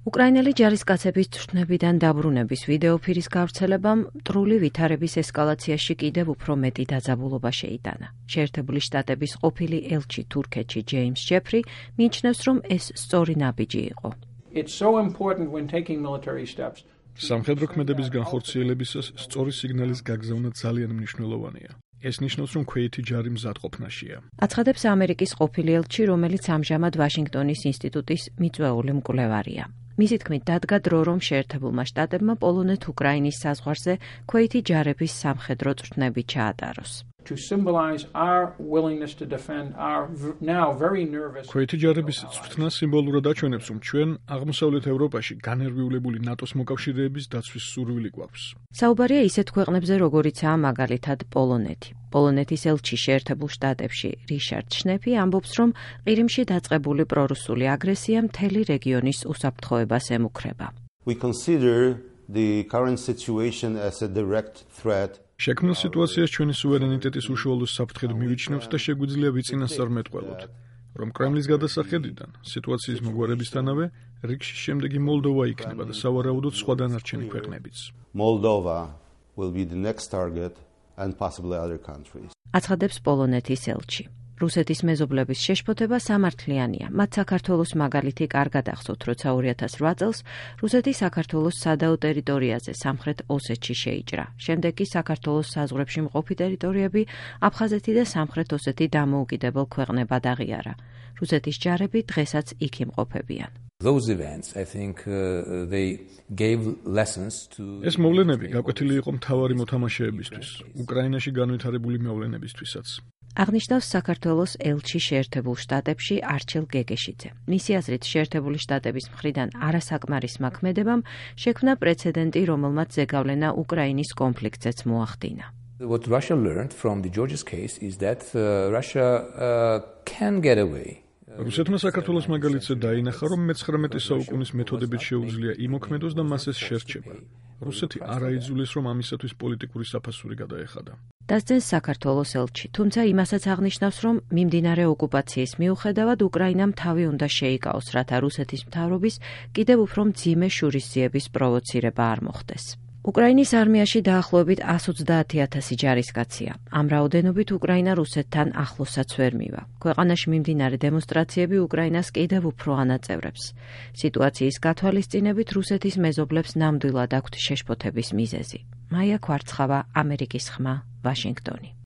უკრაინელი ჯარისკაცების თვითნებიდან დაბრუნების ვიდეოფირის გავრცელებამ მტრული ვითარების ესკალაციაში კიდევ უფრო მეტი დაძაბულობა შეიტანა. შეერთებული შტატების ყოფილი ელჩი თურქეთში ჯეიმს ჯეფრი მიიჩნევს, რომ ეს სწორი ნაბიჯი იყო. სამხედრო ქმედების განხორციელებისას სწორი სიგნალის გაგზავნა ძალიან მნიშვნელოვანია. ეს ნიშნავს, რომ ქვეითი ჯარი მზადყოფნაშია. აცხადებს ამერიკის ყოფილი ელჩი, რომელიც ამჟამად ვაშინგტონის ინსტიტუტის მიწვეული მკვლევარია. მისი თქმით, დადგა დრო, რომ შეერთებულმა შტატებმა პოლონეთ-უკრაინის საზღვარზე ქვეითი ჯარების სამხედრო წვრთნები ჩაატაროს. ქვეითი ჯარების წვრთნა სიმბოლურად აჩვენებს, რომ ჩვენ აღმოსავლეთ ევროპაში განერვიულებული ნატოს მოკავშირეების დაცვის სურვილი გვაქვს. საუბარია ისეთ ქვეყნებზე, როგორიცაა მაგალითად პოლონეთი. პოლონეთის ელჩი შეერთებულ შტატებში რიშარდ შნეფი ამბობს, რომ ყირიმში დაწყებული პრორუსული აგრესია მთელი რეგიონის უსაფრთხოებას ემუქრება. შექმნილ სიტუაციას ჩვენი სუვერენიტეტის უშუალო საფრთხედ მივიჩნევთ და შეგვიძლია ვიწინასწარმეტყველოთ, რომ კრემლის გადასახედიდან სიტუაციის მოგვარებისთანავე რიგში შემდეგი მოლდოვა იქნება და სავარაუდოდ სხვა დანარჩენი ქვეყნებიც. აცხადებს პოლონეთის ელჩი. რუსეთის მეზობლების შეშფოთება სამართლიანია. მათ საქართველოს მაგალითი კარგად ახსოვთ, როცა 2008 წელს რუსეთი საქართველოს სადაო ტერიტორიაზე სამხრეთ ოსეთში შეიჭრა. შემდეგ კი საქართველოს საზღვრებში მყოფი ტერიტორიები აფხაზეთი და სამხრეთ ოსეთი დამოუკიდებელ ქვეყნებად აღიარა. რუსეთის ჯარები დღესაც იქ იმყოფებიან. ეს მოვლენები გაკვეთილი იყო მთავარი მოთამაშეებისთვის, უკრაინაში განვითარებული მოვლენებისთვისაც. აღნიშნავს საქართველოს ელჩი შეერთებულ შტატებში არჩილ გეგეშიძე. მისი აზრით, შეერთებული შტატების მხრიდან არასაკმარისმა ქმედებამ შექმნა პრეცედენტი, რომელმაც ზეგავლენა უკრაინის კონფლიქტზეც მოახდინა. What Russia learned from the Georgia's case is that Russia can get away. რუსეთმა საქართველოს მაგალითზე დაინახა, რომ მე-19 საუკუნის მეთოდებით შეუძლია იმოქმედოს და მას ეს შერჩება. რუსეთი არ აიძულეს, რომ ამისათვის პოლიტიკური საფასური გადაეხადა. დასძენს საქართველოს ელჩი, თუმცა იმასაც აღნიშნავს, რომ მიმდინარე ოკუპაციის მიუხედავად უკრაინამ თავი უნდა შეიკავოს, რათა რუსეთის მთავრობის კიდევ უფრო მძიმე შურისძიების პროვოცირება არ მოხდეს. უკრაინის არმიაში დაახლოებით 130,000 ჯარისკაცია. ამ რაოდენობით უკრაინა რუსეთთან ახლოსაც ვერ მივა. ქვეყანაში მიმდინარე დემონსტრაციები უკრაინას კიდევ უფრო ანაწევრებს. სიტუაციის გათვალისწინებით რუსეთის მეზობლებს ნამდვილად აქვთ შეშფოთების მიზეზი. მაია ქვარცხავა, ამერიკის ხმა, ვაშინგტონი.